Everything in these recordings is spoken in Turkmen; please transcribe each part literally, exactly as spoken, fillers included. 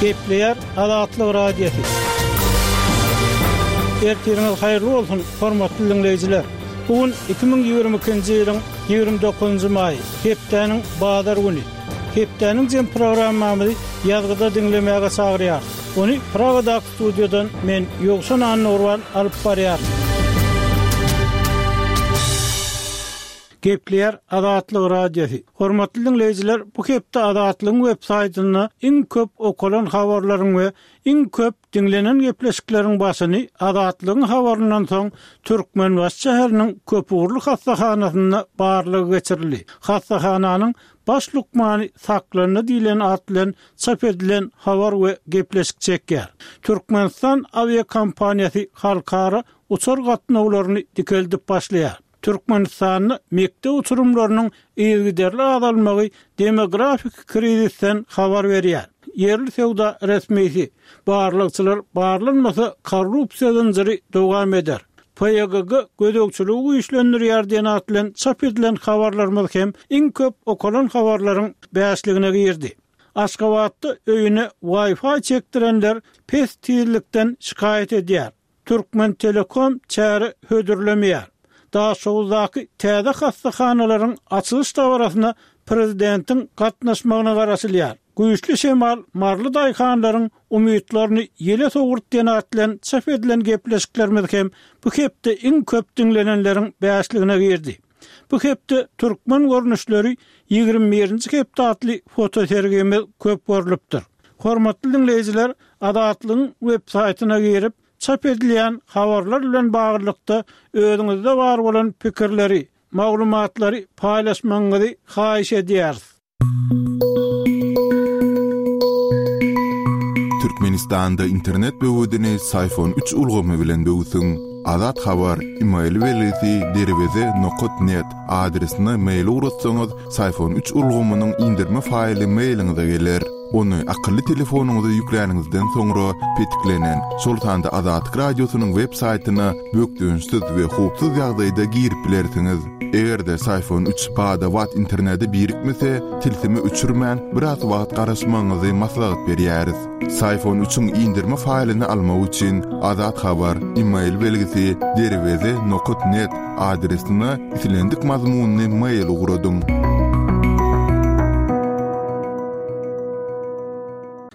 Gepleýär Azatlyk Radiosy. Ertiriňiz haýyrly bolsun, hormatly diňleýjiler. Bu gün iki müň ýigrimi ikinji ýylyň ýigrimi dokuzynjy maýy, hepdäniň bazar güni. Hepdäniň jem programmamyzy ýazgyda diňlemäge çagyrýar. Ony Pragadaky studiýadan men Ýowşan Annurwan alyp barýaryn. Gepleýär Azatlyk Radiosy. Hormatly diňleýjiler, bu hepde Azatlygyň web saýtynda iň köp okalan habarlaryň we iň köp diňlenen gepleşikleriň başyny Azatlygyň habaryndan soň Türkmenbaşy şäheriniň köpugurly hassahanasynda barlag geçirildi. Hassahananyň baş lukmany saklandy diýlen at bilen çap edilen habar we gepleşik çekýär. Türkmenistan awiakompaniýasy halkara uçar gatnawlaryny dikeldip başlaýar. Türkmenistanda mekdep uçurymlarynyň yzygiderli azalmagy demografik krizisden habar berýär. Ýerli söwda resmisi barlagçylar barlanmasa korrupsiýa zynjyry dowam eder. P Y G G gözegçiligi güýçlendirýär diýen at bilen çap edilen habarlarymyz hem iň köp okalan habarlaryň bäşligine girdi. Aşgabatda öýüne Wi-Fi çekdirenler pes tizlikden şikaýat edýär. Türkmen Telekom çäre hödürlemeýär. Daşoguzdaky täze hassahanalaryň açylyş dabarasyna prezidentiň gatnaşmagyna garaşylýar. Güýçli şemal marly daýhanlaryň umytlaryny ýele sowurt diýen at bilen çap edilen gepleşiklerimiz hem bu hepde iň köp diňlenenleriň bäşligine girdi. Bu hepde türkmen görnüşleri ýigrimi birinji hepde atly fotosergimiz köp görlüpdir. Hormatly diňleýjiler, Azatlygyň web saýtyna girip, çap edilýän habarlar bilen baglylykda özüňizde bar bolan pikirleri, maglumatlary paýlaşmagyňyzy haýyş edýäris. Türkmenistanda internet böwedini Syfon üç ulgamy bilen böwsüň. Azat Habar, e-mail belgisi derweze nokat net adresine mail ugratsaňyz, Syfon üç ulgamynyň indirme faýly mailiňize geler. Ony akylly telefonyňyza ýükläniňizden soňra petiklenen, şol sanda Azatlyk Radiosynyň web saýtyna bökdençsiz we howpsuz ýagdaýda girip bilersiňiz. Eger-de Syfon üç bada-bat internete birikmese, tilsimi öçürmän biraz wagt garaşmagyňyzy maslahat berýäris. Syfon üçiň indirme faýlyny almak üçin Azat Habar, e-mail belgisi derweze nokat net adresine islendik mazmunyny mail ugradyň.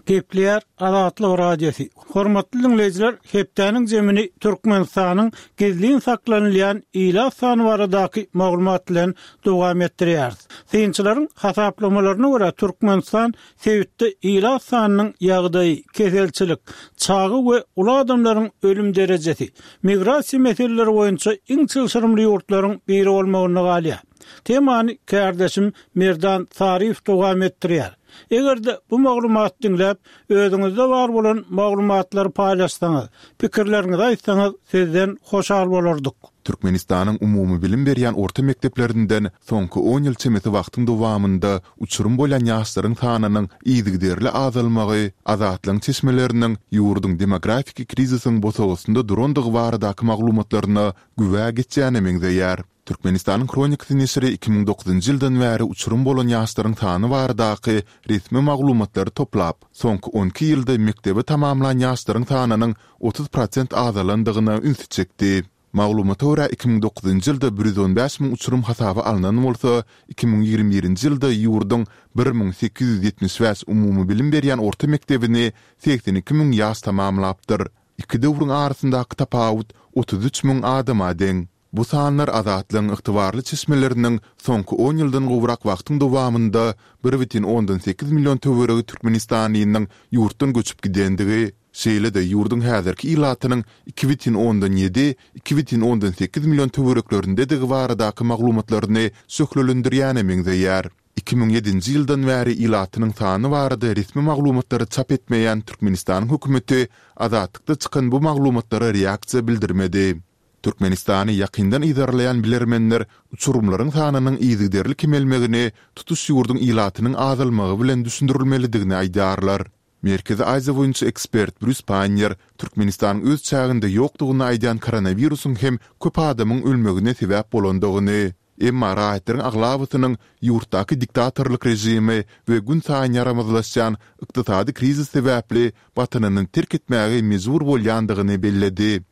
Gepleýär Azatlyk Radiosy. Hormatly diňleýjiler, hepdäniň zemini Türkmenistanyň gizlin saklanylýan ilat sany baradaky maglumat bilen dowam etdirýäris. Synçylaryň hasaplamalaryna görä Türkmenistan sebitde ilat sanynyň ýagdaýy, keselçilik, çaga we uly adamlaryň ölüm derejesi, migrasiýa meseleleri boýunça iň çylşyrymly ýurtlaryň biri bolmagyna galýar. Temany kärdeşim Merdan Saryýew dowam etdirýär. Eger-de bu maglumat diňläp, özüňizde bar bolan maglumatlary paýlaşsaňyz, pikirleriňizi aýtsaňyz, sizden hoşal bolardyk. Türkmenistanyň umumy bilim berýän orta mekdeplerinden soňky on ýyl çemesi wagtyň dowamynda uçurum bolýan ýaşlaryň sanynyň yzygiderli azalmagy, Azatlygyň çeşmeleriniň ýurduň demografik krizisiň bosagasynda durandygy baradaky maglumatlaryna güwä geçýäne meňzeýär. Türkmenistanyň Hronikasy neşiri iki müň dokuzynjy ýyldan bäri uçurum bolan ýaşlaryň sany baradaky resmi maglumatlary toplap, soňky on iki ýylda mekdebi tamamlan ýaşlaryň sanynyň otuz prosent azalandygyna ünsi çekdi. Maglumata görä iki müň dokuzynjy ýylda bir ýüz on bäş müň uçurum hasaba alnan bolsa, iki müň ýigrimi birinji ýylda ýurduň bir müň sekiz ýüz ýetmiş bäş umumy bilim berýän orta mekdebini segsen iki müň ýaş tamamlapdyr. Iki döwrüň arasyndaky tapawut otuz üç müň adama deň. Bu sanlar Azatlygyň ygtybarly çeşmeleriniň soňky on ýyldan gowrak wagtyň dowamynda bir bütin ondan sekiz million töweregi türkmenistanlynyň ýurtdan göçüp gidendigi, şeýle-de ýurduň häzirki ilatynyň iki bütin ondan ýedi, iki bütin ondan sekiz million töwereklerindedigi baradaky maglumatlaryny şöhlelendirýäne meňzeýär. Iki müň ýedinji ýyldan bäri ilatynyň sany barada resmi maglumatlary çap etmeýän Türkmenistanyň hökümeti Azatlykda çykan bu maglumatlara reaksiýa bildirmedi. Türkmenistany ýakyndan yzarlaýan bilermenler uçurymlaryň sanynyň yzygiderli kemelmegini tutuş ýurduň ilatynyň azalmagy bilen düşündirilmelidigini aýdýarlar. Merkezi Aziýa boýunça ekspert Brýus Paýner Türkmenistanyň öz çäginde ýokdugyny aýdýan koronawirusyň hem köp adamyň ölmegine sebäp bolandygyny, Emma raýatlaryň aglabasynyň ýurtdaky diktatorlyk režimi we günsaýyn ýaramazlaşýan ykdysady krizis sebäpli Watanyny terk etmäge mejbur bolýandygyny belledi.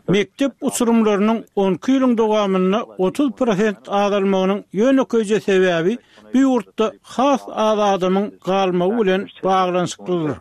Mekdep uçurymlarynyň on iki ýylyň dowamynda otuz prosent azalmagynyň ýönekeýje sebäbi bu ýurtda has az adamyň galmagy bilen baglanyşyklydyr.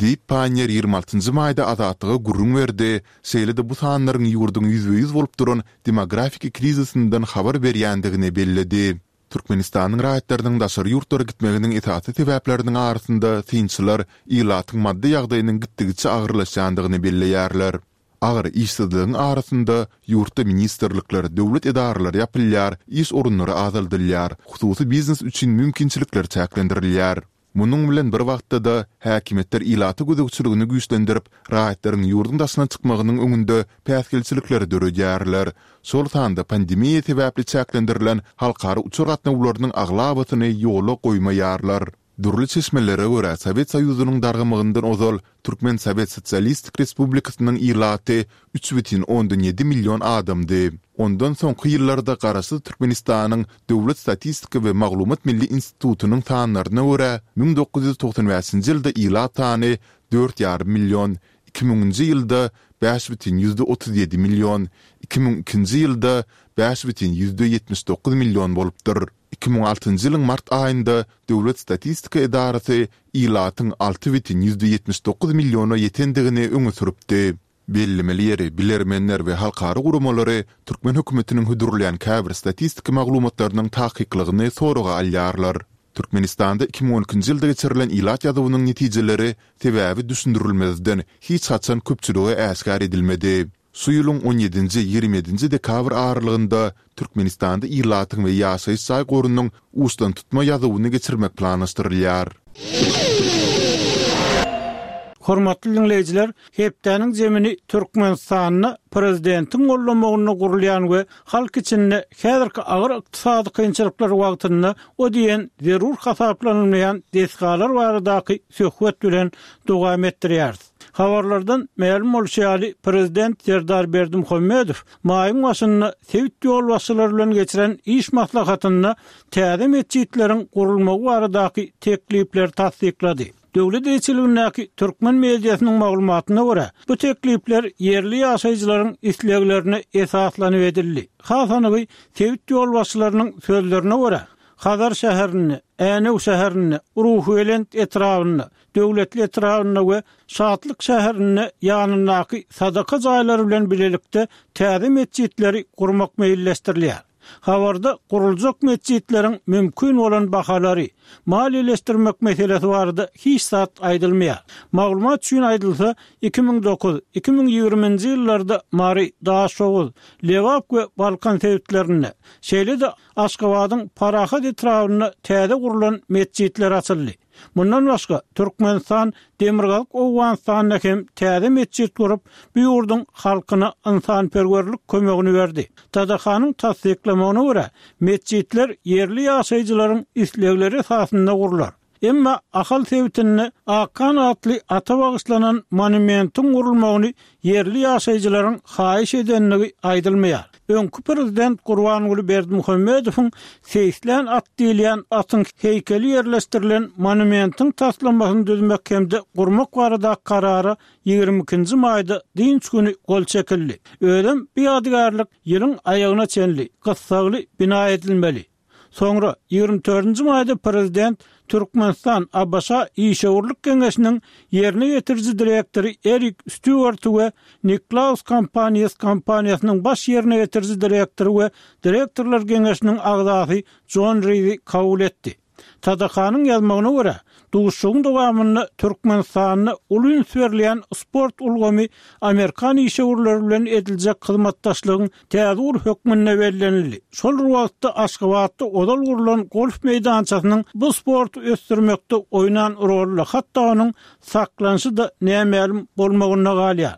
Diýip, Panniýer ýigrimi altynjy maýda Azatlyga gürrüň berdi, şeýle-de bu sanlaryň ýurduň ýüzbe-ýüz bolup duran demografiki krizisinden habar berýändigini belledi. Türkmenistanyň raýatlarynyň daşary ýurtlara gitmeginiň esasy sebäpleriniň arasynda synçylar ilatyň maddy ýagdaýynyň gitdigiçe agyrlaşýandygyny belleýärler. Agyr işsizligiň arasynda ýurtda ministrlikler, döwlet edaralary ýapylýar, iş orunlary azaldylýar, hususy biznes üçin mümkinçilikler çäklendirilýär. Munuň bilen bir wagtda-da, häkimiýetler ilata gözegçiligini güýçlendirip, raýatlaryň ýurduň daşyna çykmagynyň öňünde päsgelçilikleri döredýärler. Şol sanda pandemiýa sebäpli çäklendirilen halkara uçar gatnawlarynyň aglabasyny ýola goýmaýarlar. Dürli çeşmelere görä, Sowet Soýuzynyň dargamagyndan ozal Türkmen Sowet Sosialistik Respublikasynyň ilaty üç bütin ondan ýedi million adamdy. Ondan soňky ýyllarda Garaşsyz Türkmenistanyň Döwlet statistika we maglumat milli institutynyň sanlaryna görä, müň dokuz ýüz togsan bäşinji ýylda ilat sany dört ýarym million, iki müňünji ýylda bäş bütin ýüzde otuz ýedi million, iki müň ikinji ýylda bäş bütin ýüzde ýetmiş dokuz million bolupdyr. Iki müň altynjy ýylyň mart aýynda Döwlet statistika edarasy ilatyň alty bütin ýüzde ýetmiş dokuz milliona ýetendigini öňe sürüpdi. Bellemeli ýeri, bilermenler we halkara guramalary türkmen hökümetiniň hödürleýän käbir statistika maglumatlarynyň takyklygyny soraga alýarlar. Türkmenistanda iki müň on ikinji ýylda geçirilen ilat ýazuwynyň netijeleri sebäbi düşündirilmezden hiç haçan köpçülige äşgär edilmedi. Şu ýylyň on ýedinji, ýigrimi ýedinji dekabr aralygynda Türkmenistanda ilatyň we ýaşaýyş jaý gorunyň uçdantutma ýazuwyny geçirmek planlaşdyrylýar. Hormatly diňleýjiler, hepdäniň zemini Türkmenistanda prezidentiň gollamagynda gurulýan we halk içinde häzirki agyr ykdysady kynçylyklar wagtynda o diýen zerur hasaplanylmaýan desgalar baradaky söhbet bilen dowam etdirýäris. Habarlardan mälim bolşy ýaly, prezident Serdar Berdimuhamedow maýyň başynda sebit ýolbaşçylary bilen geçiren iş maslahatynda täze metjitleriň gurulmagy baradaky teklipleri tassyklady. Döwlet eýeçiligindäki türkmen mediasynyň maglumatyna görä, bu teklipler ýerli ýaşaýjylaryň isleglerine esaslanyp edildi. Has anygy, sebit ýolbaşçylarynyň sözlerine görä, Hazar şäherinde, Änew şäherinde, Ruhubelent etrabynda, Döwletli etrabynda we Şatlyk şäherinde ýanyndaky sadaka jaýlary bilen bilelikde täze metjitleri gurmak meýilleşdirilýär. Habarda guruljak metjitleriň mümkin bolan bahalary, maliýeleşdirmek meselesi barada hiç zat aýdylmaýar. Maglumat üçin aýdylsa, iki müň dokuz, iki müň ýigriminji ýyllarda Mary, Daşoguz, Lebap we Balkan sebitlerinde, şeýle-de Aşgabadyň Parahat etrabynda täze gurlan metjitler açyldy. Mundan başga, Türkmenistan Demirgazyk Owganystanda hem täze metjit gurup, bu ýurduň halkyna ynsanperwerlik kömegini berdi. T D K-nyň tassyklamagyna görä, metjitler ýerli ýaşaýjylaryň islegleri esasynda gurlar. Emma Ahal sebitinde Akhan atly ata bagyşlanan monumentiň gurulmagyny ýerli ýaşaýjylaryň haýyş edenligi aýdylmaýar. Öňki prezident Gurbanguly Berdimuhamedowyň seýislän at diýilýän atyň heýkeli ýerleşdirilen monumentiň taslamasyny düzmek hem-de gurmak barada karara ýigrimi ikinji maýda dynç güni gol çekildi. Özem bu ýadygärlik ýylyň aýagyna çenli gyssagly bina edilmeli. Soňra ýigrimi dördünji maýda prezident Türkmenistan A B Ş Işewürlik Geňeşiniň ýerine ýetiriji direktory Erik Stýuarty we Niklaus Companies kompaniýasynyň baş ýerine ýetiriji direktory we direktorlar geňeşiniň agzasy Jon Rizi kabul etdi. T D K-nyň ýazmagyna görä, duşuşygyň dowamynda Türkmenistanda uly üns berilýän sport ulgamy Amerikan işewürleri bilen ediljek hyzmatdaşlygyň täze ugur hökmünde bellenildi. Şol bir wagtda Aşgabatda ozal gurlan golf meýdançasynyň bu sporty ösdürmekde oýnan roly hatda onuň saklanyşy-da nämälim bolmagynda galýar.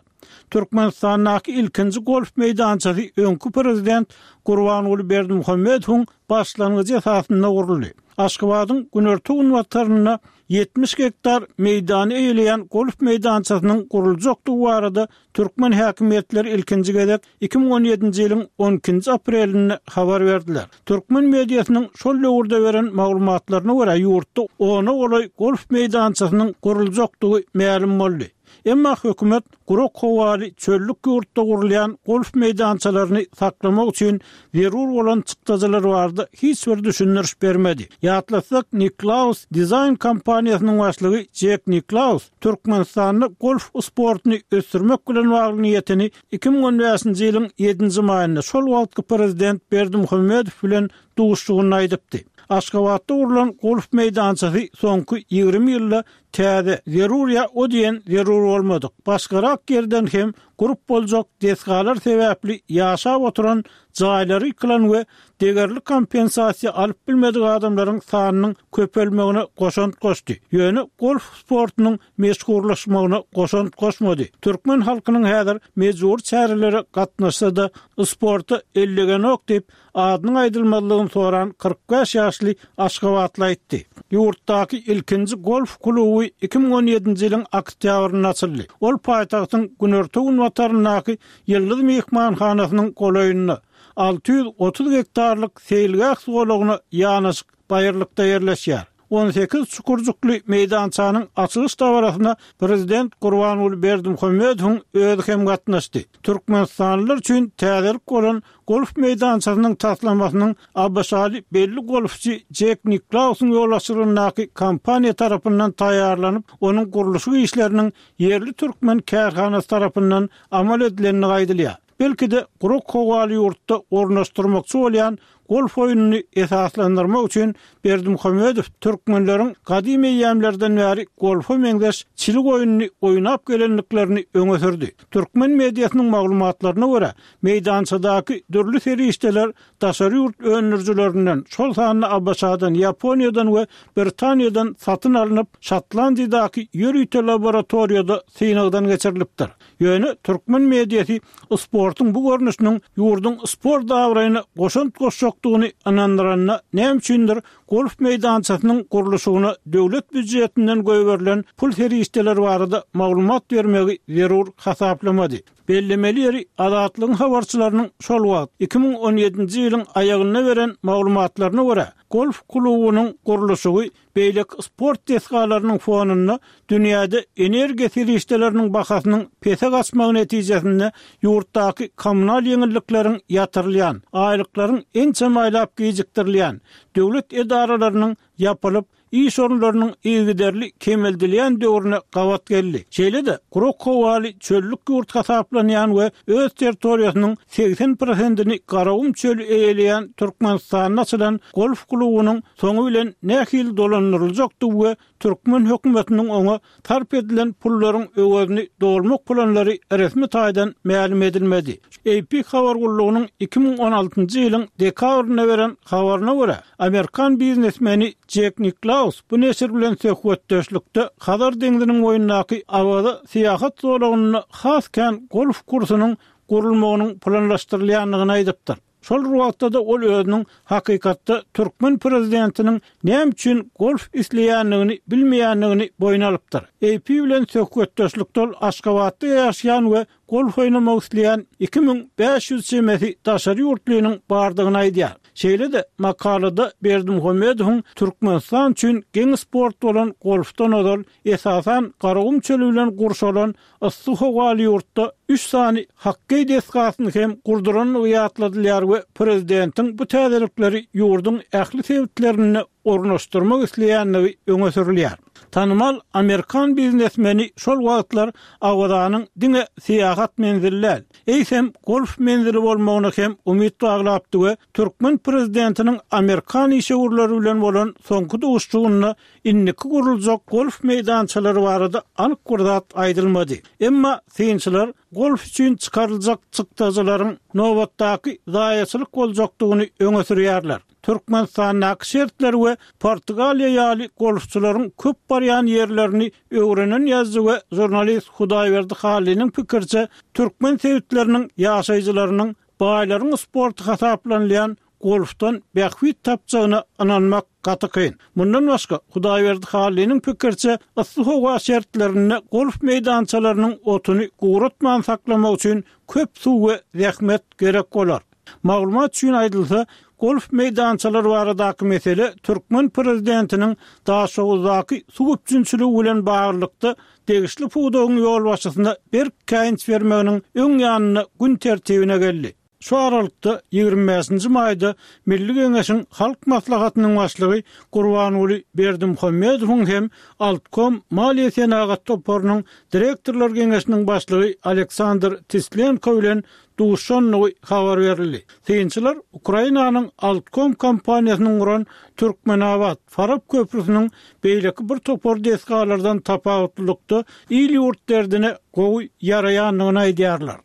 Türkmenistandaky ilkinji golf meýdançasy öňki prezident Gurbanguly Berdimuhamedowyň başlangyjy esasynda guruldy. Aşgabadyň günorta-günbatarynda ýetmiş gektar meýdany eýeleýän golf meýdançasynyň guruljakdygy barada türkmen häkimiýetleri ilkinji gezek iki müň on ýedinji ýylyň on ikinji aprelinde habar berdiler. Türkmen mediasynyň şol döwürde beren maglumatlaryna görä ýurtda ona golaý golf meýdançasynyň guruljakdygy mälim boldy. Emma hökümet gurak howaly çöllük ýurtda gurulýan golf meýdançalaryny saklamak üçin zerur bolan çykdajylar barada hiç bir düşündiriş bermedi. Ýatlasak, Niklaus dizaýn kompaniýasynyň başlygy Jek Niklaus Türkmenistanda golf sportuny ösdürmek bilen bagly niýetini iki müň on bäşinji ýylyň ýedinji maýynda şol wagtky prezident Berdimuhamedow bilen duşuşygynda aýdypdy. Aşgabatda gurlan golf meýdançasy soňky ýigrimi ýylda täze, zerur ýa o diýen zerur bolmadyk. Başgarak ýerden hem gurup boljak desgalar sebäpli ýaşap oturan jaýlary ýykylan we degerli kompensasiýa alyp bilmedik adamlaryň sanynyň köpelmegine goşant goşdy. Ýöne golf sportunyň meşhurlaşmagyna goşant goşmady. Türkmen halkynyň häzir mejbur çärelere gatnaşsa-da sporta ellegenok diýip adynyň aýdylmazlygyny soran kyrk bäş ýaşly Aşgabatly aýtdy. Ýurtdaky ilkinji golf kluby iki müň on ýedinji ýylyň oktýabrynda açyldy. Ol paýtagtyň günorta-günbataryndaky Ýyldyz mehmanhanasynyň golaýynda alty ýüz otuz gektarlyk seýilgäh zolagyna ýanaşyk baýyrlykda ýerleşýär. on sekiz çukurjukly meýdançanyň açylyş dabarasyna prezident Gurbanguly Berdimuhamedowyň özi hem gatnaşdy. Türkmenistanlylar üçin täzelik bolan golf meýdançasynyň taslamasynyň ABŞ-ly belli golfçy Jek Niklausyň ýolbaşçylygyndaky kompaniýa tarapyndan taýýarlanyp, onuň gurluşyk işleriniň ýerli türkmen kärhanasy tarapyndan amal edilendigi aýdylýar. Belki-de gurak howaly ýurtda ornaşdyrmakçy bolýan golf oýnuny esaslandyrmak üçin Berdimuhamedow türkmenleriň gadym eýýämlerden bäri golfa meňzeş çilik oýnuny oýnap gelendiklerini öňe sürdi. Türkmen mediasynyň maglumatlaryna görä, meýdançadaky dürli serişdeler daşary ýurt öndürijilerinden, şol sanda ABŞ-dan, Ýaponiýadan we Britaniýadan satyn alnyp, Şotlandiýadaky ýörite laboratoriýada synagdan geçirilipdir. Ýöne türkmen mediasy sportuň bu görnüşiniň ýurduň sport abraýyna goşant goşjakdygyny ynandyranda näme üçindir golf meýdançasynyň gurluşygyna döwlet býujetinden goýberilen pul serişdeleri barada maglumat bermegi zerur hasaplamady. Bellemeli ýeri Azatlygyň habarçylarynyň şol wagt iki müň on ýedinji ýylyň aýagynda beren maglumatlaryna görä, golf klubunyň gurluşygy beýleki sport desgalarynyň fonunda dünýäde energiýa serişdeleriniň bahasynyň pese gaçmagy netijesinde ýurtdaky kommunal ýeňillikleriň ýatyrylýan, aýlyklaryň ençeme aýlap gijikdirilýän, döwlet edaralarynyň ýapylyp, iş orunlarynyň yzygiderli kemeldilýän döwrüne gabat geldi. Şeýle-de gurak howaly çöllük ýurt hasaplanýan we öz territoriýasynyň segsen prosentini Garagum çöli eýeleýän Türkmenistanda açylan golf klubunyň soňy bilen nähili dolandyryljakdygy we türkmen hökümetiniň oňa sarp edilen pullaryň öwezini dolmak planlary resmi taýdan mälim edilmedi. A P habar gullugynyň iki müň on altynjy ýylyň dekabrynda beren habaryna görä, Amerikan biznesmeni Jek Niklaus bu neşir bilen söhbetdeşlikde Hazar deňziniň boýundaky Awaza syýahat zolagynda has kän golf kursunyň gurulmagynyň planlaşdyrylýandygyny aýdypdyr. Şol wagtda-da ol özüniň hakykatda türkmen prezidentiniň näme üçin golf isleýändigini bilmeýändigini boýun alypdyr. A P bilen söhbetdeşlikde ol Aşgabatda ýaşaýan we golf oýnamak isleýän iki müň bäş ýüz çemesi daşary ýurtlynyň bardygyny aýdýar. Şeýle-de makalada Berdimuhamedowyň Türkmenistan üçin geň sport bolan golfdan ozal esasan Garagum çöli bilen gurşalan yssy howaly ýurtda üç sany hokkeý desgasyny hem gurdurandygy ýatladylýar we prezidentiň bu täzelikleri ýurduň ähli sebitlerinde ornaşdyrmak isleýändigi öňe sürülýär. Tanymal Amerikan biznesmeni şol wagtlar Awazanyň diňe syýahat menzili däl, eýsem golf menzili bolmagyna hem umyt baglapdy we türkmen prezidentiniň Amerikan işewürleri bilen bolan soňky duşuşygynda indiki guruljak golf meýdançalary barada anyk bir zat aýdylmady. Emma synçylar golf üçin çykaryljak çykdajylaryň nobatdaky zaýaçylyk boljakdygyny öňe sürýärler. Türkmenistandaky şertler we Portugaliýa ýaly golfçylaryň köp barýan ýerlerini öwrenen ýazyjy we žurnalist Hudaýberdi Hallynyň pikirçe, türkmen sebitleriniň ýaşaýjylarynyň baýlaryň sporty hasaplanylýan golfdan bähbit tapjagyna ynanmak gaty kyn. Mundan başga Hudaýberdi Hallynyň pikirçe yssy howa şertlerinde golf meýdançalarynyň otuny guratman saklamak üçin köp suw we zähmet gerek bolar. Maglumat üçin aýdylsa, golf meýdançalary baradaky mesele türkmen prezidentiniň Daşoguzdaky suw üpjünçiligi bilen baglylykda degişli pudagyň ýolbaşçysyna berk käýinç bermeginiň öň ýanynda gün tertibine geldi. Şu aralykda ýigrimi bäşinji maýda Milli Geňeşiň Halk Maslahatynyň başlygy Gurbanguly Berdimuhamedowyň hem Altkom Maliýe Senagat toparynyň direktorlar geňeşiniň başlygy Aleksandr Tislenko bilen duşandygy habar berildi. Synçylar Ukrainanyň Altkom kompaniýasynyň guran Türkmenabat Farap köprüsiniň beýleki bir topar desgalardan tapawutlylykda il ýurt derdine gowy ýaraýandygyny aýdýarlar.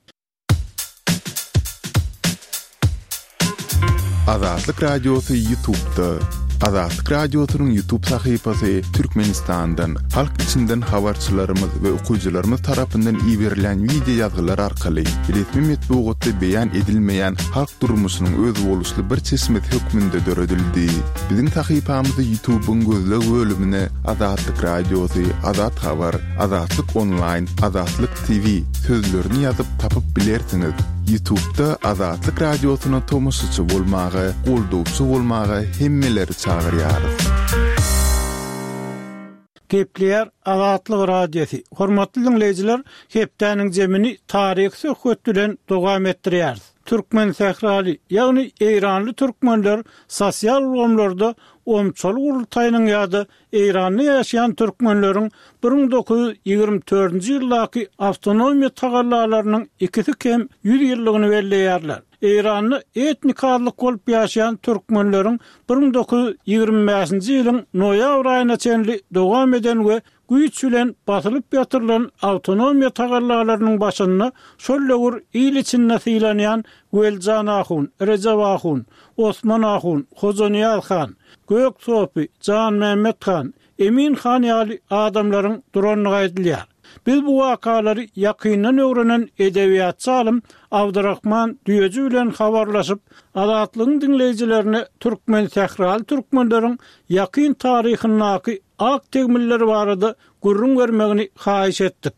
Azatlyk Radiosy YouTube'da. Azatlyk Radiosynyň YouTube sahypasy Türkmenistandan, halk içinden habarçylarymyz we okyjylarymyz tarapyndan iberilen video ýazgylar arkaly resmi metbugatda beýan edilmeýän halk durmuşynyň özboluşly bir çeşmesi hökmünde döredildi. Biziň sahypamyzy YouTube'yň gözleg bölümine Azatlyk Radiosy, Azat Habar, Azatlyk Online, Azatlyk T V sözlerini ýazyp tapyp bilersiňiz. YouTube'da Azatlyk Radiosyna tomaşaçy bolmaga, goldawçy bolmaga hemmeleri çagyrýarys. Gepleýär Azatlyk Radiosy. Hormatly dinleýjiler, hepdäniň zemini taryhy söhbet bilen dowam etdirýäris. Türkmen sähraly, ýagny Eýranly türkmenler sosial ulgamlarda omçaly gurultaýynyň ýa-da Eýranda ýaşaýan türkmenleriň bir müň dokuz ýüz ýigrimi dördünji ýyldaky awtonomiýa tagallalarynyň ikisi kem ýüz ýyllygyny belleýärler. Eýranda etnik azlyk bolup ýaşaýan türkmenleriň bir müň dokuz ýüz ýigrimi bäşinji ýylyň noýabr aýyna çenli dowam eden we güýç bilen basylyp ýatyrylan awtonomiýa tagallalarynyň başynda şol döwür il içinde sylanýan Weljan Ahun, Recep Ahun, Osman Ahun, Hojaniyaz Han, Gök Sopi, Jan Mehmet Han, Emin Han ýaly adamlaryň durandygy aýdylýar. Biz bu wakalary ýakyndan öwrenen edebiýatçy alym Abdurrahman Düýeji bilen habarlaşyp, Azatlygyň dinleýjilerine türkmen sähraly türkmenleriň ýakyn taryhyndaky ak tegmilleri barada gürrüň bermegini haýyş etdik.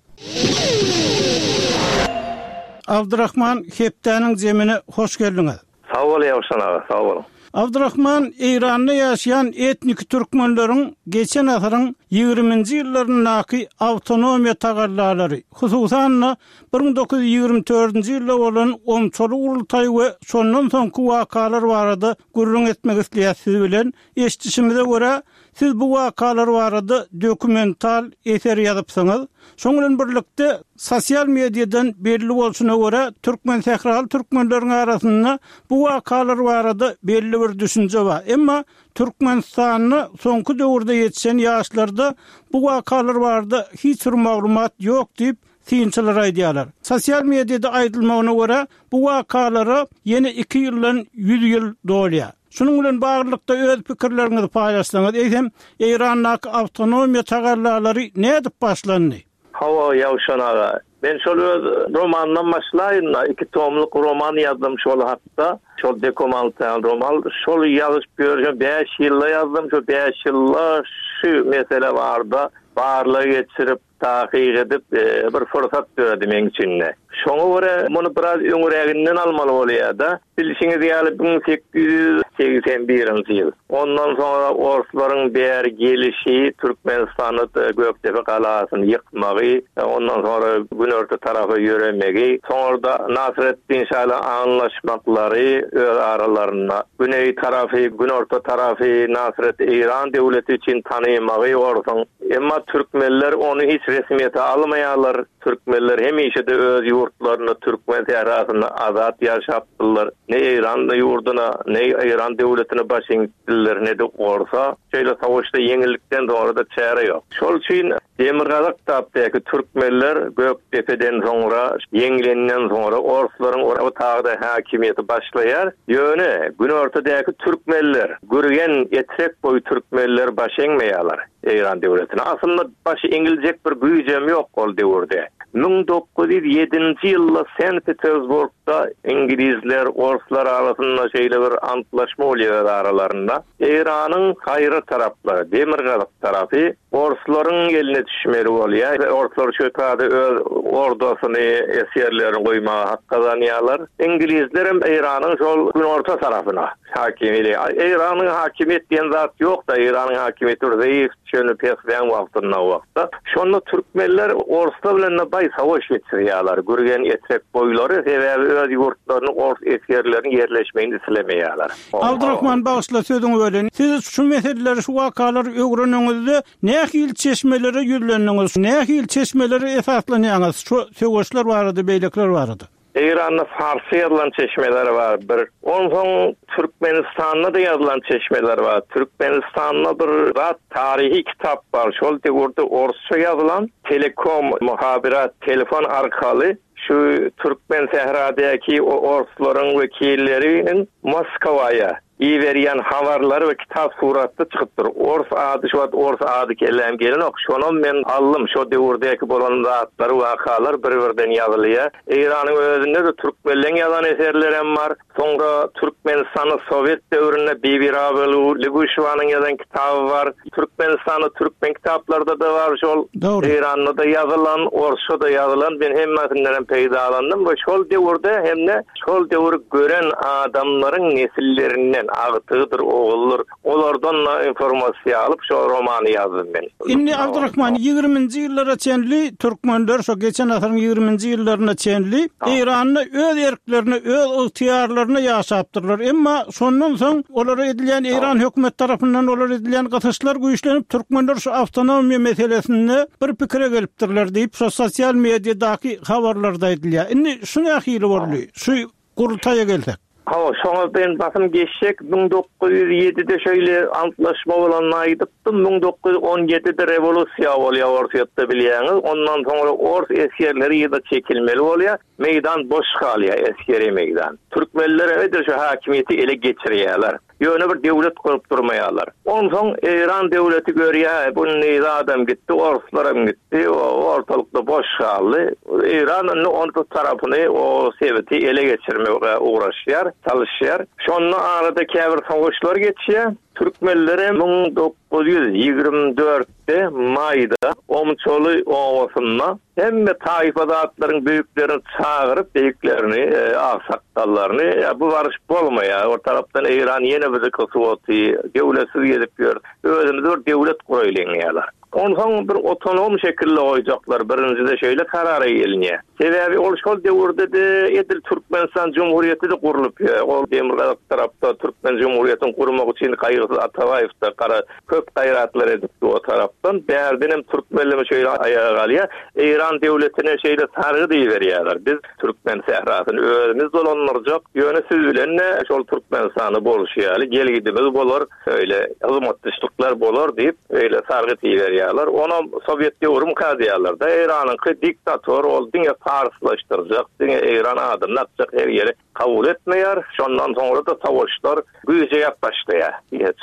Abdurrahman, hepdäniň zemine hoş geldiňiz. Sag bol Ýewşan aga, sag bol. Abdurrahman, Eýranda ýaşaýan etnik türkmenleriň geçen asyryň ýigriminji ýyllaryndaky awtonomiýa tagallalary, hususan-da bir müň dokuz ýüz ýigrimi dördünji ýylda bolan omçaly gurultaý we şondan soňky wakalar barada gürrüň etmek isleýär siz bilen. Eşitişimize görä, siz bu wakalar barada dokumental eser ýazypsyňyz. Şoň bilen birlikde sosial mediadan belli bolşuna görä, türkmen sähraly türkmenleriň arasynda bu wakalar barada belli bir düşünje bar. Emma Türkmenistanda soňky döwürde ýetişen ýaşlarda bu wakalar barada hiç bir maglumat ýok diýip synçylar aýdýarlar. Sosial mediada aýdylmagyna görä, bu wakalara ýene iki ýyldan ýüz ýyl dolýar. Şunuň bilen baglylykda öz pikirleriňizi paýlaşsaňyz, eýsem Eýrandaky awtonomiýa tagallalary nädip başlandy? Hawa, Ýewşan aga. Men şol öz romandan başlaýyn da, iki tomluk roman ýazdym şol hakda. Şol dokumental roman, şol ýazyp görjüm bäş ýylda ýazdym, şo bäş ýylda şu mesele barda barla geçirip takyk edip, e, bir fırsat döredi meň içinde. Şoňa görä muny biraz öňüräginden almaly bolýar da. Bilşiňiz ýaly müň sekiz ýüz segsen birinji ýyl. Ondan soňra orslaryň bäri gelişi, Türkmenistanda Gökdepe galasyny ýykmagy, ondan soňra günorta tarapa ýöremegi, soňra da Nasreddin Şaly anlaşmaklary öz aralarynda güneý tarapy, günorta tarapy Nasret Eýran döwleti üçin tanymagy orsuň. Emma türkmenler ony hiç resmiýete almaýarlar. Türkmenler hemişe de öz ýurtlarynda türkmen sährasynda azat ýaşapdylar. Ne Eýran ýurduna, ne Eýran döwletine baş eňipdirler, ne de orsa. Şeýle savaşda ýeňillikden soňra da çäre ýok. Şol üçin Demirgazyk tapdaky türkmenler Gökdepeden soňra, ýeňlenden soňra orslaryň o tagda hakimiýeti başlaýar. Ýöne günortadaky türkmenler, Gürgen, Etrek boýy türkmenler baş eňmeýärler Eýran döwletine. Aslynda baş eňiljek bir güýjem ýok ol döwürde. Müň dokuz ýüz ýedinji ýylda Sankt Petersburgda İngilizler, orslar arasynda şeýle bir antlaşma bolýar aralarynda. Eýranyň gaýry taraplary, demirgazyk tarapy orslaryň eline düşmeli bolýar. Orslar şu taýda öz ordasyny, esgerlerini goýmaga hak gazanýarlar. İngilizler hem Eýranyň şol günorta tarapyna hakimiyeti. Eýranyň hakimiýet diýen zat ýok da, Eýranyň hakimiýeti bir zeýif şöyle pesleýän wagtynda wagtda. Şonda türkmenler orslar bilen de bay savaş geçirýärler. Gürgen Etrek boýlary sebäbi öz ýurtlaryny ors esgerleriniň ýerleşmegini islemeýärler. Abdurrahman bagyşla sözüňi bölen. Siz şu meseleleri, şu wakalary öwreniňizde nähili çeşmelere ýüzlendiňiz? Nähili çeşmelere esaslanýaňyz? Şu söweşler barada, beýlekler barada. Eýranda farsy ýazylan çeşmeler bar bir. Onsoň Türkmenistanda da ýazylan çeşmeler bar. Türkmenistanda bir zat tarihi kitap bar. Şol döwürde orsça ýazylan telekom, muhabirat, telefon arkaly şu Türkmen sähradaki o orslaryň wekilleriniň Moskwaýa iberýän habarlary we kitap suratda çykypdyr. Ors ady şu wagt ors ady kelläm gelenok. Şonam men aldym. Şo döwürdäki bolan zatlar, wakalar bir-birden ýazylýar. Eýranyň özünde de türkmenleň ýazan eserleri hem bar. Soňra Türkmenistanyň Sowet döwründe Bibi Rabelu Liguşewanyň ýazan kitaby bar. Türkmenistanyň türkmen kitaplarda da bar şol. Doğru. Eýranda da ýazylan, orsça da ýazylan men hemmesinden hem peýdalandym we şol döwürde hem de şol döwür gören adamlaryň nesillerinden agtygydyr, oğuldur. Olardan da informasiýa alyp şol romany ýazdym men. Indi Abdurrahman ýigriminji ýyllara çenli türkmenler şo geçen asyryň ýigriminji ýyllaryna çenli Eýranda öz erklerini, öz ygtyýarlaryny ýaşapdyrlar. Emma şondan soň olara edilýän Eýran hökümet tarapyndan olara edilýän gysyşlar güýçlenip türkmenler şu awtonomiýa meselesinde bir pikire gelipdirler diýip şu sosial mediadaky habarlarda aýdylýar. Indi şu nähili boldy? Şu gurultaýa gelsek. Ha, şoňa ben basym geçsek, müň dokuz ýüz ýedide şeýle antlaşma bolanyny aýdypdym. Müň dokuz ýüz on ýedide rewolýusiýa bolýar Orsýetde bilýäňiz. Ondan soňra ors esgerleri ýa-da çekilmeli bolýar. Meýdan boş galýar, esgeri meýdan. Türkmenler edil şu hakimiýeti ele geçirýärler. Ýöne bir döwlet gurup durmaýarlar. Onsoň Eýran döwleti görýär, bu neydi adam gitdi, orslar hem gitdi, o ortalykda boş galdy. Eýran indi onun tarapyny, o sebeti ele geçirmeye uğraşýar, çalışýar. Şonda arada käbir savaşlar geçýär. Türkmenlere müň dokuz ýüz ýigrimi dörtde maýda Omçoly obasynda hemme taýfa zatlaryň büyüklerini çagyryp, büyüklerini, e, aksakgallaryny, ya bu barış bolmaýar. O tarapdan Eýran ýene bizi kysy döwletsiz gezip ýör. Özümiz bir döwlet guraýlyň diýýärler. Onsoň bir otonom şekilde goýjaklar. Birinjide şeýle karara gelinýär. Sebäbi ol şol döwürde de edil Türkmenistan Cumhuriyeti de gurlup ýör. Ol demirgazyk tarapda Türkmen Cumhuriyetini gurmak üçin Gaýgysyz Atabaýew da gara köp gaýratlar edipdi o tarapdan. Bärden hem türkmenleme şeýle aýaga galýar. Eýran döwletine şeýle sargy diýiberýärler. Biz Türkmen sährasyny özümiz dolandyrjak, ýöne siz bilen de şol Türkmenistany bolşy ýaly gelgidimiz bolar, öyle hyzmatdaşlyklar bolar diýip öyle sargy diýiberýärler. Ona Sowet döwrüm diýýärler da Eýranyňky diktator ol diňe parslaşdyrjak, diňe Eýran adyny atjak her ýere kabul etmeýär. Şondan soňra da savaşlar güýje başlaýar.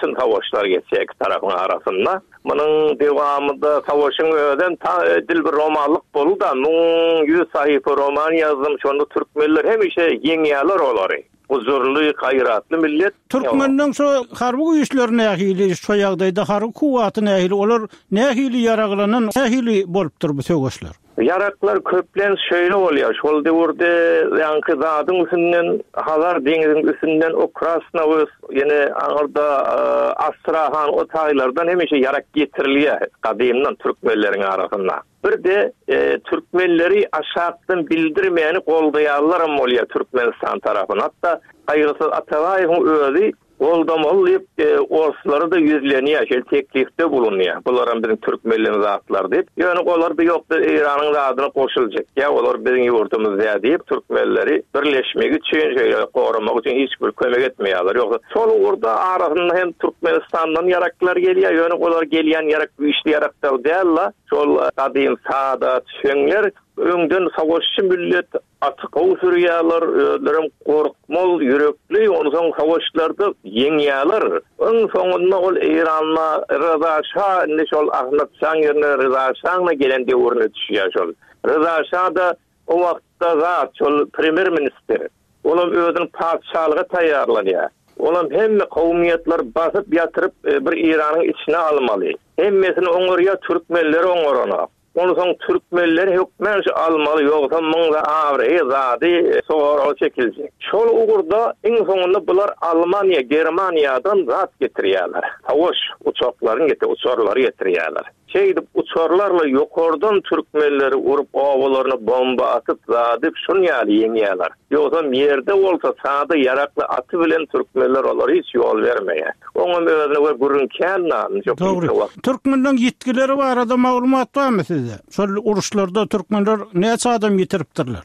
Çyn savaşlar geçýär iki tarapyň arasynda. Munuň dewamynda savaşyň özem ta edil bir romanlyk boldy da müň ýüz sahypa roman ýazdym. Şonda türkmenler hemişe ýeňýärler olary. Huzurly, gaýratly millet. Türkmenleň şu harby güýçleri nähili, şu ýagdaýda harby kuwwaty nähili, olar nähili ýaraglanan, nähili bolupdyr bu söweşler? Yaraklar köplen şöyle bolýar. Şol döwürde ýaňky zadyň üstünden, Hazar deňiziniň üstünden o Krasnowos, ýene aňyrda, e, Astrahan o taýlardan hemişe yarak getirilýär gadymdan türkmenleriň arasynda. Bir de, e, türkmenleri aşakdan bildirmeyeni goldaýarlar hem bolýar Türkmenistan tarapyndan. Hatta Gaýgysyz Atabaýewiň özi Goldamaly diýip, e, orslara-da ýüzlenýär, şeýle teklifde bulunýar. Bularam biziň türkmenleň zatlar diýip. Ýöne olar da ýok, biz Eýranyň zadyna goşuljak. Ýa olar biziň ýurdumyzda diýip, türkmenleri birleşmek üçin, şeýle goramak üçin hiç bir kömek etmeýärler. Ýogsa şol ugurda arasynda hem Türkmenistandan ýaraklar gelýär, ýöne olar gelýän ýarak güýçli ýaraklar däl-la. Şol gadym sada tüfeňler öňden savaşçy millet aty gowy sürýärler, özlerem gorkmaz, ýürekli, onsoň savaşlarda ýeňýärler. Iň soňunda ol Eýranda Reza Şah, indi şol Ahmet Şaň ýerine Reza Şaňna gelen döwrüne düşýär şol. Reza Şah da o wagtda zat şol premýer ministr. Olam özüniň patyşalyga taýýarlanýar. Olam hemme kowmiýetler basyp ýatyryp e, bir Eýranyň içine almaly. Hemmesini oňarýar, türkmenleri oňarana. Onsoň türkmenleri hökmän şu almaly, ýogsa muňda abraýy zady e, soraga çekiljek. Şol ugurda iň soňunda bular Almaniýa, Germaniýadan zat getirýärler. Savaş uçaklaryny getir, uçarlary getirýärler. Şeýdip uçarlarla ýokardan türkmenleri urup obalaryna bomba atyp zadyp şun ýaly ýeňýärler. Ýogsa ýerde bolsa sada ýarakly aty bilen türkmenler olar hiç ýol bermeýär. Oňam özüne we gürrüň kän çok Dogry. Türkmenleň ýitgileri barada maglumat barmy sizde? Şol uruşlarda türkmenler näçe adam ýitiripdirler?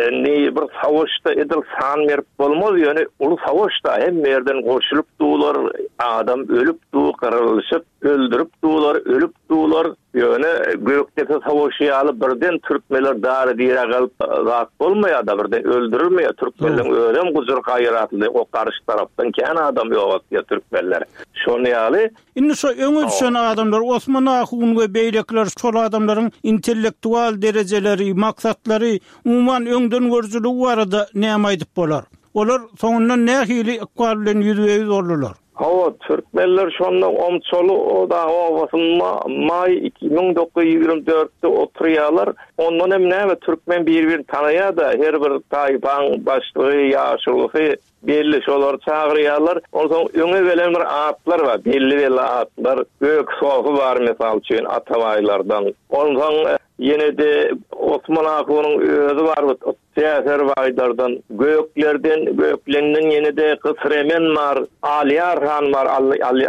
Indi bir savaşda edil san berip bolmaz, ýöne uly savaşda hem yerden goşulyp dular, adam ölüp du, gyrylşyp, öldürip dular, ölüp dular. Ýöne Gökdepe savaşy ýaly birden türkmenler dary diýre galyp zat bolmaýar da birden öldürilmeýär. Türkmenleň özem gujur gaýratly o garşy tarapdan kän adam ýok diýär türkmenler. Şony ýaly Indi şu öňe düşen adamlar Osman Ahun we beýlekler şol adamlaryň intellektual derejeleri, maksatlary, umuman öňden görüjiligi barada näme aýdyp bolar? Olar soňundan nähili ykbal bilen ýüzbe-ýüz boldular? Hawa, türkmenler şonda omçaly o da obasynda maý iki müň dokuz ýüz ýigrimi dörtde oturýarlar. Ondan hem näme türkmen bir-birini tanaýar da her bir taýpaň başlygy, ýaşulusy belli şolar çagyrýarlar. Onsoň öňe gelen bir atlar bar, belli-belli atlar. Gök Sofi bar mysal üçin Atabaýlardan. Onsoň ýene de Osman Ahunyň özi bar, Täfer baýlardan, Göklerden, Göklenden ýene de Kysremen bar, Alýar han bar,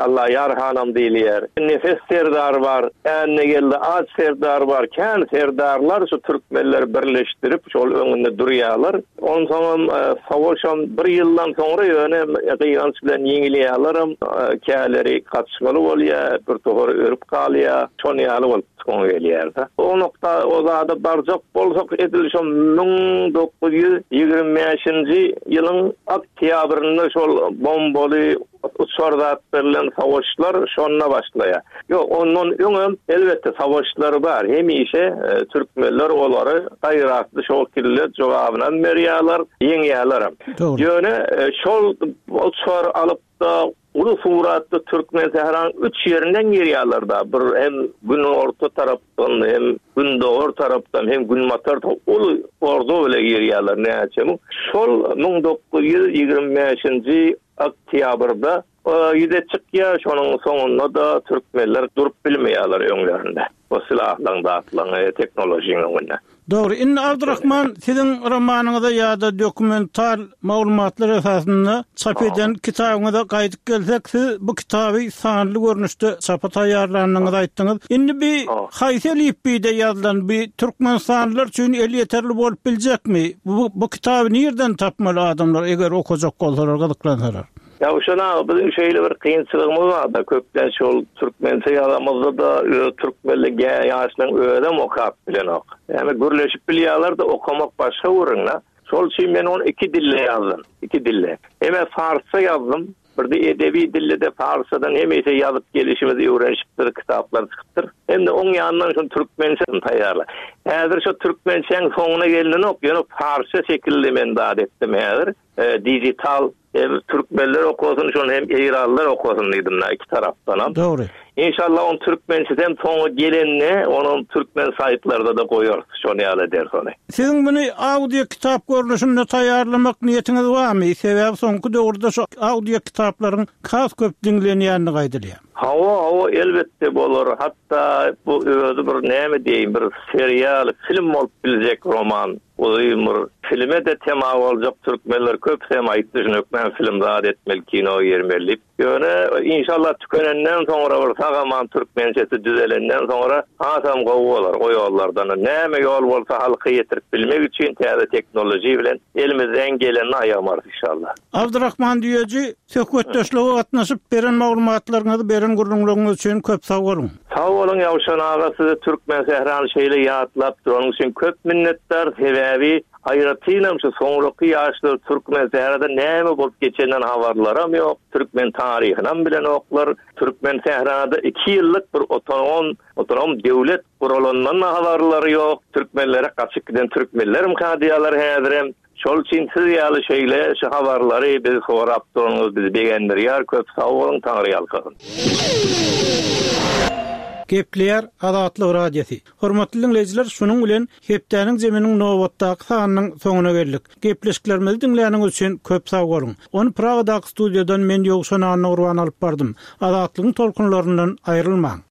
Allaýar hanam diýilýär. Nefes serdar bar, Änne geldi Aç serdar bar, kän serdarlar şu türkmenleri birleşdirip şol öňünde durýarlar. Onsoňam, e, savaşam bir ýyldan soňra ýöne gynanç bilen ýeňilýärler, e, käleri gaçmaly bolýar, bir tohary örüp galýar, şon ýaly bolup soňa gelýär-de. O nokta o zada barjak bolsak edil şo müň dokuz ýüz ýigrimi bäşinji ýylyň oktýabrynda şol bombaly uçar zat berlen savaşlar şonda başlaýar. Ýok, ondan öňem elbetde savaşlar bar. Hemişe, e, türkmenler olary gaýratly şol kille jogabyny berýärler, ýeňýärler. Dogry. Ýöne, e, şol uçar alyp da uly suratda Türkmen Sähranyň üç ýerinden girýärler da. Bir hem günorta tarapdan, hem gündogar tarapdan, hem günbatar tarapdan uly ordu bile girýärler näçe müň. Şol müň dokuz ýüz ýigrimi bäşinji oktýabrda, e, ýüze çykýar, şonuň soňunda da türkmenler durup bilmeýärler öňlerinde. O silahlaryň, zatlaryň, e, teknolojiň öňünde. Dogry. Indi Abdurrahman, siziň romanyňyza ýa-da dokumental maglumatlar esasynda çap eden kitabyňyza gaýdyp gelsek, siz bu kitaby sanly görnüşde çapa taýýarlandygyňyzy aýtdyňyz. Indi bir haýsy elipbiýde ýazylan bir Türkmenistanlylar üçin elýeterli bolup biljekmi? Bu, bu kitaby nirden tapmaly adamlar eger okajak bolsalar, gyzyklansalar? Ya şuna biziň şeýle bir kynçylygymyz bar da, köplenç şol türkmençe ýazamyzda da öz türkmenli ýaşlaryň özem okap bilenok. Ýani gürleşip bilýärler de okamak başga gürrüň-de. Şol üçin men ony iki dille ýazdym, iki dille. Hem farsça ýazdym, bir de edebi dille de farsçadan hemişe ýazyp gelişimizi öwrenişipdir, kitaplar çykypdyr. Hem de oň ýanyndan şol türkmençe taýýarla. Häzir şo türkmençäň soňuna gelinok, ýöne farsça şekilde men zat etdim häzir. E, digital hem türkmenler okasyn, şonu hem Eýranlylar okasyn diýdim da iki tarapdan hem. Dogry. İnşallah on türkmençeden soňa gelenine onun türkmen saýtlarda da goýarys, şony ýaly eder ony. Siziň muny audio kitap görnüşinde taýýarlamak niýetiňiz barmy? Sebäbi soňky döwürde şu audio kitaplaryň has köp diňlenýänini aýdylýar. Hawa, hawa, elbetde bolar. Hatda bu özi bir näme diýeyim, bir serial, film bolup biljek roman. Uzyn bir filme-de tema boljak türkmenler köp hem aýtdy, şuny hökman film zat etmeli, kino girmeli diýip. Ýöne inşallah tükenenden soňra bir sag-aman türkmençesi düzelenden soňra hasam gowy bolar o ýollardan. Näme ýol bolsa halka ýetirip bilmek üçin täze teknoloji bilen elimizden gelenini aýamarys inşallah. Abdurrahman Düýeji, söhbetdeşlige gatnaşyp beren maglumatlaryňyzy, beren gürrüňleriňiz üçin köp sag boluň. Sag boluň Ýowşan aga, sizi Türkmen sährany şeýle ýatlap duranyň üçin köp minnetdar. Sebäbi aýratynam şu soňraky ýaşlar Türkmen sährada näme bolup geçenden habarlaram ýok, türkmen taryhynam bilenoklar. Türkmen sährada iki ýyllyk bir otonom, otonom döwlet guralandan habarlary ýok. Türkmenlere gaçyp giden türkmenlerim kadiýalar häzirem. Şol üçin siz ýaly şeýle şu habarlary biz sorap duranyňyz bizi begendirýär. Köp sag boluň, Taňry ýalkasyn. Gepleýär Azatlyk Radiosy. Hormatly dinleýjiler, şunuň bilen hepdäniň zeminiň nobatdaky sanynyň soňuna geldik. Gepleşiklerimizi diňläniňiz üçin köp sag boluň. Ony Pragadaky studiýadan men Ýowşan Annagurban alyp bardym. Azatlygyň tolkunlaryndan aýrylmaň.